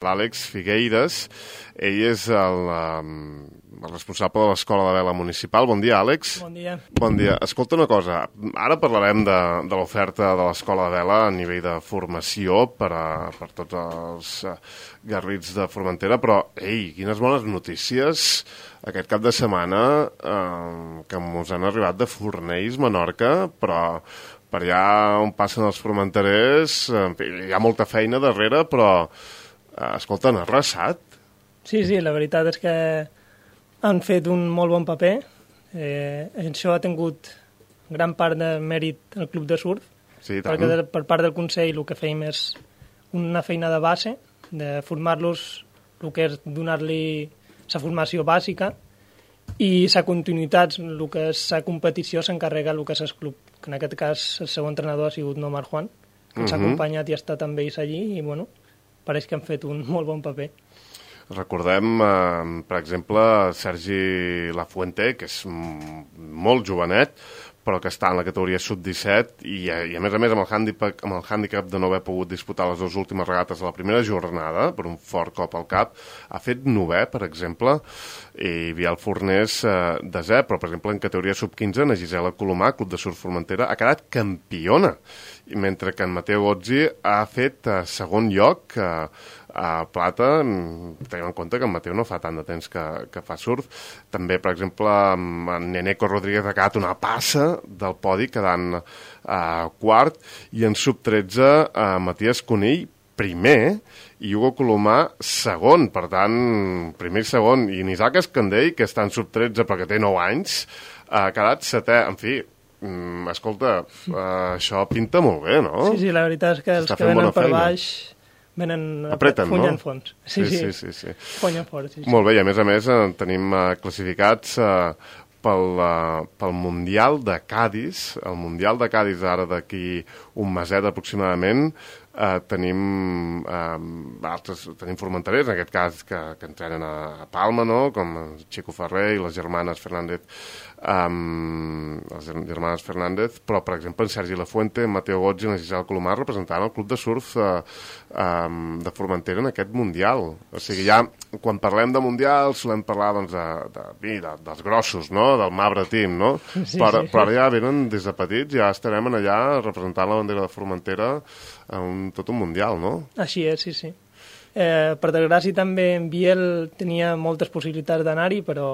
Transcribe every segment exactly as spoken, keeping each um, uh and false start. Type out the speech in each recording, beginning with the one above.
l'Àlex Figueiras. Ell és el, el responsable de l'Escola de Vela Municipal. Bon dia, Àlex. Bon dia. Bon dia. Escolta una cosa, ara parlarem de, de l'oferta de l'Escola de Vela a nivell de formació per, a, per tots els uh, garrits de Formentera, però, ei, quines bones notícies aquest cap de setmana eh, que ens han arribat de Fornells, Menorca, però per allà on passen els formenterers, en fi, hi ha molta feina darrere, però escolta, han arrasat. Sí, sí, la veritat és que han fet un molt bon paper. Eh, això ha tingut gran part de mèrit al Club de Surf, sí, perquè de, per part del Consell el que fèiem és una feina de base, de formar-los, el que és donar-li la formació bàsica, i la continuïtat, el que és la competició, s'encarrega el que és el club, que en aquest cas el seu entrenador ha sigut Nomar Juan, que ens ha uh -huh. acompanyat i ha estat amb ells allí, i bueno, pareix que han fet un molt bon paper. Recordem, eh, per exemple, Sergi Lafuente, que és molt jovenet, però que està en la categoria sub disset i, i a més a més amb el, handicap, amb el handicap de no haver pogut disputar les dues últimes regates de la primera jornada, per un fort cop al cap, ha fet novè, per exemple, i Vial Fornés eh, desè, però per exemple en categoria sub quinze, na Gisela Colomà, Club de Surf Formentera, ha quedat campiona, i mentre que en Mateo Gozzi ha fet eh, segon lloc, eh, a plata. Tenim en compte que en Mateu no fa tant de temps que, que fa surf. També, per exemple, en Neneco Rodríguez ha quedat una passa del podi, quedant eh, quart, i en sub tretze eh, Matías Conill primer i Hugo Colomà segon. Per tant, primer i segon. I Isaac Escandell, que està en sub tretze perquè té nou anys, ha quedat setè. En fi, mm, escolta, eh, això pinta molt bé, no? Sí, sí, la veritat és que els que venen per baix venen apreten, punyen no? fons. Sí, sí, sí. sí, sí. Punyen fort, sí, sí. Molt bé, i a més a més eh, tenim eh, classificats eh, pel, uh, pel Mundial de Cadis. El Mundial de Cadis ara d'aquí un meset aproximadament. Uh, tenim uh, altres, tenim formenterers, en aquest cas que, que entrenen a Palma, no? Com Chico Ferrer i les germanes Fernández, um, les germanes Fernández, però per exemple en Sergi Lafuente, en Mateo Gozzi i en Gisela Colomà representant el club de surf uh, um, de Formentera en aquest Mundial. O sigui, ja quan parlem de Mundial solem parlar doncs, de, de, de, dels grossos, no? Del Mabre Team, no? Sí, però, sí, sí. però ja venen des de petits, ja estarem allà representant la bandera de Formentera a un, tot un Mundial, no? Així és, sí, sí. Eh, per desgràcia també en Biel tenia moltes possibilitats d'anar-hi, però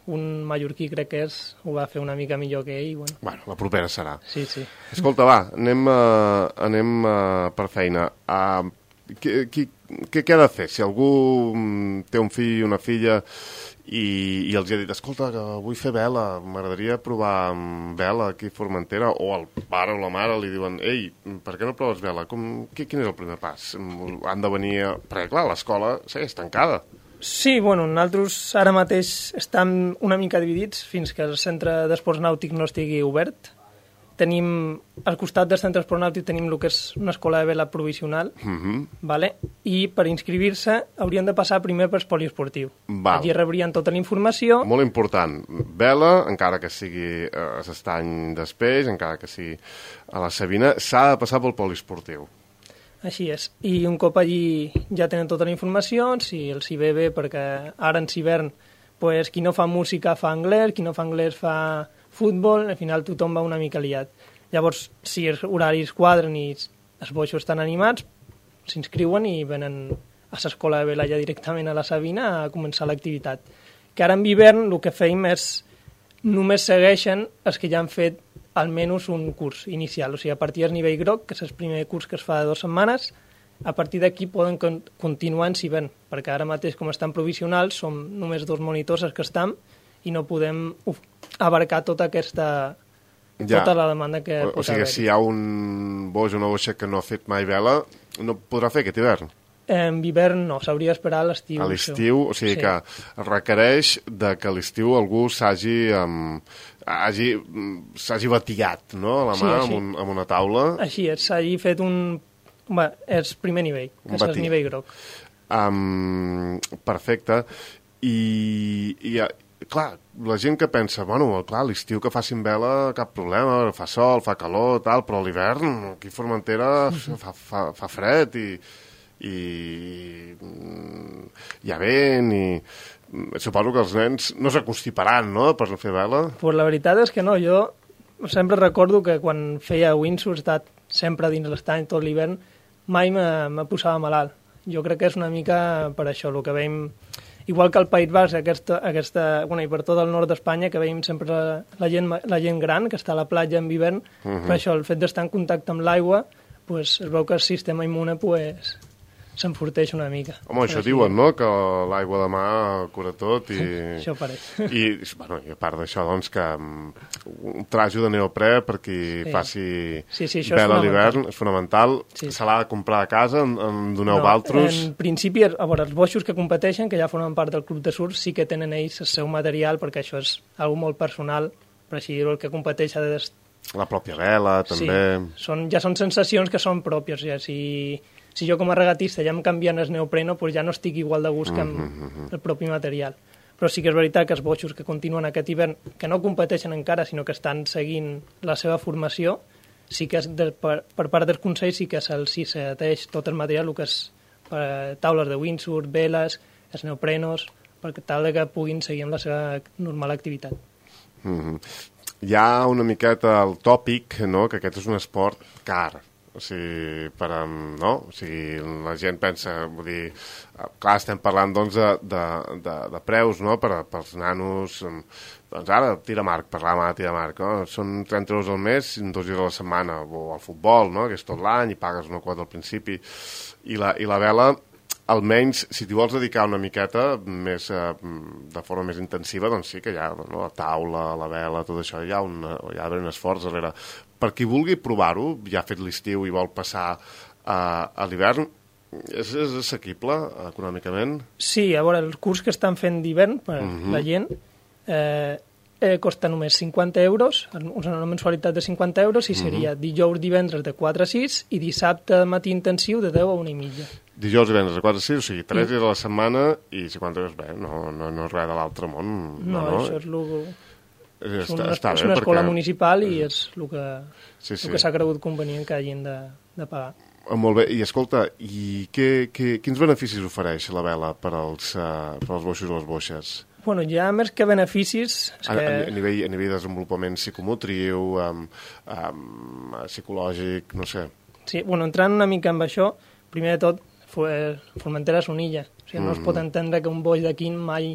un mallorquí crec que és, ho va fer una mica millor que ell. Bueno, bueno la propera serà. Sí, sí. Escolta, va, anem, uh, anem uh, per feina. Uh, què, què, què ha de fer? Si algú um, té un fill i una filla i, i els ha dit, escolta, que vull fer vela, m'agradaria provar vela aquí a Formentera, o el pare o la mare li diuen, ei, per què no proves vela? Com, qui, quin és el primer pas? Han de venir... A... Perquè, clar, l'escola segueix tancada. Sí, bueno, nosaltres ara mateix estem una mica dividits fins que el centre d'esports nàutics no estigui obert. Tenim, al costat del centre d'esports nàutics tenim el que és una escola de vela provisional, uh-huh. vale? I per inscriure-se haurien de passar primer per poliesportiu. Val. Allí rebrien tota la informació. Molt important. Vela, encara que sigui a l'estany d'Espeix, encara que sigui a la Sabina, s'ha de passar pel poliesportiu. Així és. I un cop allí ja tenen tota la informació, si els hi ve bé, perquè ara en hivern pues, qui no fa música fa anglès, qui no fa anglès fa futbol, al final tothom va una mica liat. Llavors, si els horaris quadren i els boixos estan animats, s'inscriuen i venen a l'escola de vela ja directament a la Sabina a començar l'activitat. Que ara en hivern el que feim és només segueixen els que ja han fet almenys un curs inicial, o sigui, a partir del nivell groc, que és el primer curs que es fa de dues setmanes, a partir d'aquí poden con continuar en hivern, perquè ara mateix, com estan provisionals, som només dos monitors els que estem i no podem uf, abarcar tota aquesta... Ja. Tota la demanda que o, o sigui, si hi ha un boix o una boixa que no ha fet mai vela, no podrà fer aquest hivern? En hivern no, s'hauria d'esperar a l'estiu. A l'estiu, o sigui sí. que requereix de que a l'estiu algú s'hagi um, hagi, s'hagi batiat, no?, a la mà sí, amb, un, amb una taula. Així és, s'hagi fet un... Bé, és primer nivell, que és el nivell groc. Um, perfecte. I, i clar, la gent que pensa, bueno, clar, l'estiu que facin vela, cap problema, fa sol, fa calor, tal, però a l'hivern, aquí a Formentera, fa, fa, fa fred i... i hi ha vent i suposo que els nens no s'aconstiparan, no?, per fer vela. Pues la veritat és que no, jo sempre recordo que quan feia windsurf, estat sempre dins l'estany tot l'hivern, mai me, me posava malalt. Jo crec que és una mica per això, el que veiem, igual que al País Basc, aquesta, aquesta, bueno, i per tot el nord d'Espanya, que veiem sempre la, la, gent, la gent gran que està a la platja en hivern, uh-huh. Per això el fet d'estar en contacte amb l'aigua, pues, es veu que el sistema immune pues, s'enforteix una mica. Home, això així... diuen, no?, que l'aigua de mar cura tot i... Això pareix. I, bueno, i a part d'això, doncs, que un trajo de neoprè per qui sí. faci sí, sí, vela a l'hivern és fonamental. Sí. Se l'ha de comprar a casa, en, en doneu no, valtros? En principi, a veure, els boixos que competeixen, que ja formen part del club de surf, sí que tenen ells el seu material, perquè això és algo molt personal, per així dir-ho, el que competeix ha de... La pròpia vela, també. Sí, són, ja són sensacions que són pròpies, ja, si... Si jo com a regatista ja em canvien el neopreno, doncs ja no estic igual de gust que amb mm-hmm. el propi material. Però sí que és veritat que els boixos que continuen aquest hivern, que no competeixen encara, sinó que estan seguint la seva formació, sí que és de, per, per part dels consells sí que se'ls si s'ateix tot el material, el que és eh, taules de windsurf, veles, els neoprenos, per tal que puguin seguir amb la seva normal activitat. Mm-hmm. Hi ha una miqueta el tòpic, no?, que aquest és un esport car. O sigui, per, no? O sigui, la gent pensa, vull dir, clar, estem parlant doncs de, de, de, de preus, no?, per, pels nanos, doncs ara, tira marc, parlàvem ara de tira marc, no? Són trenta euros al mes, dos dies a la setmana, o al futbol, no?, que és tot l'any, i pagues una quota al principi, i la, i la vela, almenys, si t'hi vols dedicar una miqueta més, eh, de forma més intensiva, doncs sí que hi ha, no?, la taula, la vela, tot això, hi ha, una, hi ha un esforç darrere. Per qui vulgui provar-ho, ja ha fet l'estiu i vol passar uh, a l'hivern, és, és assequible econòmicament? Sí, a veure, el curs que estan fent d'hivern per uh-huh. la gent eh, eh, costa només cinquanta euros, una mensualitat de cinquanta euros, i seria uh-huh. dijous, divendres de quatre a sis i dissabte matí intensiu de deu a una i mitja. Dijous, divendres de quatre a sis, o sigui, tres dies a la setmana i cinquanta euros, bé, no, no, no és res de l'altre món. No, no, això és el... És una, està és una bé, escola perquè... municipal i és el que, sí, sí. el que s'ha cregut convenient que hagin de, de pagar. Molt bé, i escolta, i què, què, quins beneficis ofereix la vela per als, uh, per als boixos o les boixes? Bueno, ja més que beneficis... És a, que... a, nivell, a nivell de desenvolupament psicomotriu, um, um, psicològic, no sé. Sí, bueno, entrant una mica amb això, primer de tot, Formentera és una illa. O sigui, no mm. es pot entendre que un boix d'aquí mai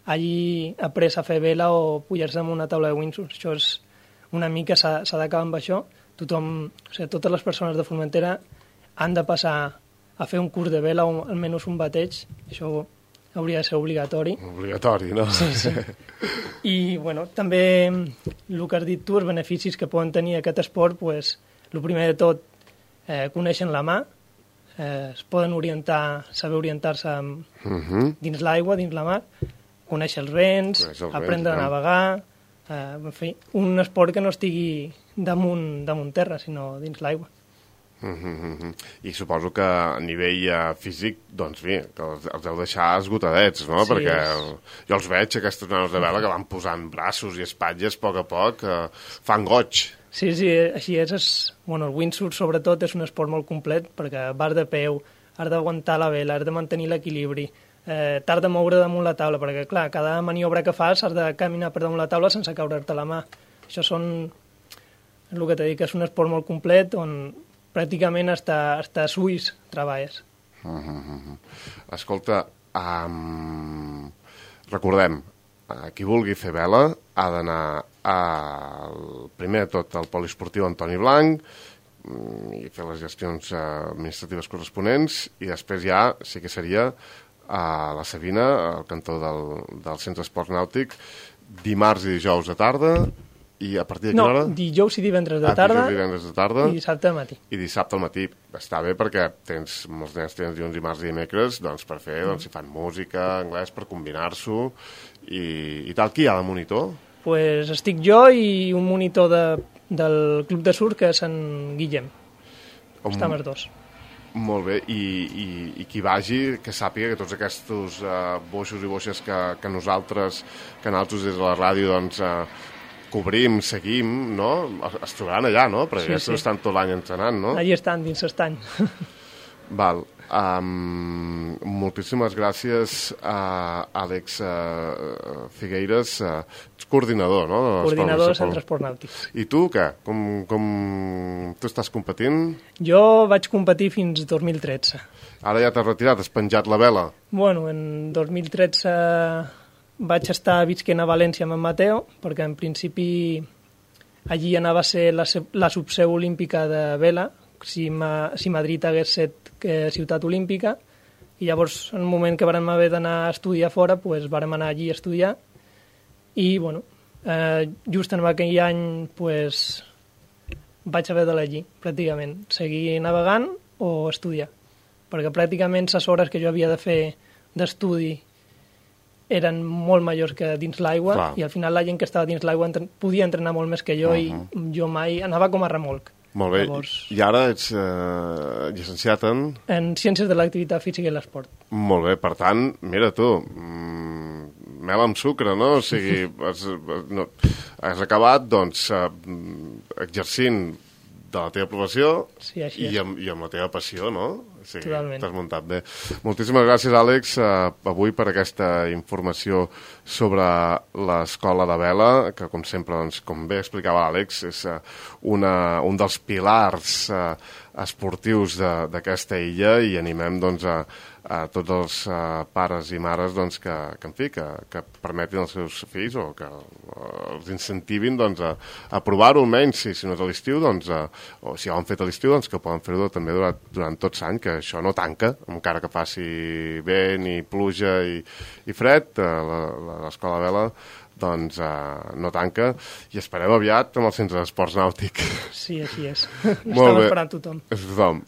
hagi après a fer vela o pujar-se en una taula de windsurf. Això és una mica, s'ha d'acabar amb això. Tothom, o sigui, totes les persones de Formentera han de passar a fer un curs de vela o almenys un bateig. Això hauria de ser obligatori. Obligatori, no? Sí, sí. I, bueno, també el que has dit tu, els beneficis que poden tenir aquest esport, pues, el primer de tot, eh, coneixen la mà, eh, es poden orientar, saber orientar-se uh-huh. dins l'aigua, dins la mar, conèixer els vents, els aprendre vents, a navegar, eh, en fi, un esport que no estigui damunt, damunt terra, sinó dins l'aigua. Mm-hmm. I suposo que a nivell uh, físic, doncs bé, que els, els heu deixar esgotadets, no? Sí, perquè és... jo els veig, aquestes nanos de vela, que van posant braços i espatlles a poc a poc, uh, fan goig. Sí, sí, així és. és bueno, el windsurf, sobretot, és un esport molt complet, perquè vas de peu, has d'aguantar la vela, has de mantenir l'equilibri, eh, t'has de moure damunt la taula, perquè, clar, cada maniobra que fas has de caminar per damunt la taula sense caure'te la mà. Això són... És el que t'he dit, que és un esport molt complet, on pràcticament hasta, hasta suís treballes. Uh -huh. Escolta, um, recordem, uh, qui vulgui fer vela ha d'anar al, primer de tot al poliesportiu Antoni Blanc um, i fer les gestions uh, administratives corresponents, i després ja sí que seria a la Sabina, al cantó del, del Centre Esport Nàutic, dimarts i dijous de tarda. I a partir de quina no, hora? No, dijous i divendres de tarda, ah, divendres de tarda i dissabte al matí. I dissabte al matí. Està bé perquè tens, molts nens tenen dilluns, dimarts i dimecres, doncs per fer, doncs si fan música, anglès, per combinar-s'ho i, i tal. Qui hi ha de monitor? Pues estic jo i un monitor de, del club de surf, que és en Guillem. On... Estem els dos. Molt bé, I, i, i qui vagi, que sàpiga que tots aquests uh, boixos i boixes que, que nosaltres, que nosaltres des de la ràdio, doncs... Uh, cobrim, seguim, no? Es trobaran allà, no? Perquè sí, sí. Estan tot l'any entrenant, no? Allí estan, dins l'estany. Val. Um, moltíssimes gràcies a Àlex uh, Figueiras, uh, ets coordinador, no? Coordinador de centres esports nàutics. I tu, què? Com, com... Tu estàs competint? Jo vaig competir fins dos mil tretze. Ara ja t'has retirat, has penjat la vela? Bueno, en dos mil tretze vaig estar visquent a València amb en Mateo, perquè en principi allí anava a ser la, la subseu olímpica de vela, si, ma, si Madrid hagués set que ciutat olímpica, i llavors en el moment que vàrem haver d'anar a estudiar fora, pues, vàrem anar allí a estudiar, i bueno, eh, just en aquell any pues, vaig haver d'elegir pràcticament, seguir navegant o estudiar, perquè pràcticament les hores que jo havia de fer d'estudi eren molt majors que dins l'aigua, i al final la gent que estava dins l'aigua entre... podia entrenar molt més que jo, uh -huh. i jo mai anava com a remolc. Molt bé, llavors... i ara ets eh, llicenciat en... En Ciències de l'Activitat Física i l'Esport. Molt bé, per tant, mira tu, mmm, mel amb sucre, no? O sigui, has, no, has acabat, doncs, eh, exercint de la teva professió, sí, així i, amb, i amb la teva passió, no? O sigui, totalment. T'has muntat bé. Moltíssimes gràcies, Àlex, eh, avui per aquesta informació sobre l'escola de vela, que com sempre, doncs, com bé explicava Àlex, és eh, una, un dels pilars eh, esportius d'aquesta illa, i animem doncs, a, a tots els uh, pares i mares doncs, que, que, en fi, que, que permetin als seus fills o que uh, els incentivin doncs, a, a provar-ho almenys, si, si no és a l'estiu, doncs, uh, o si ho han fet a l'estiu, doncs, que poden fer-ho també durant, durant tot l'any, que això no tanca, encara que faci vent i pluja i, i fred, uh, l'escola de vela doncs uh, no tanca, i esperem aviat amb el centre d'esports nàutic. Sí, així és. Molt Estem bé. esperant tothom. Tothom.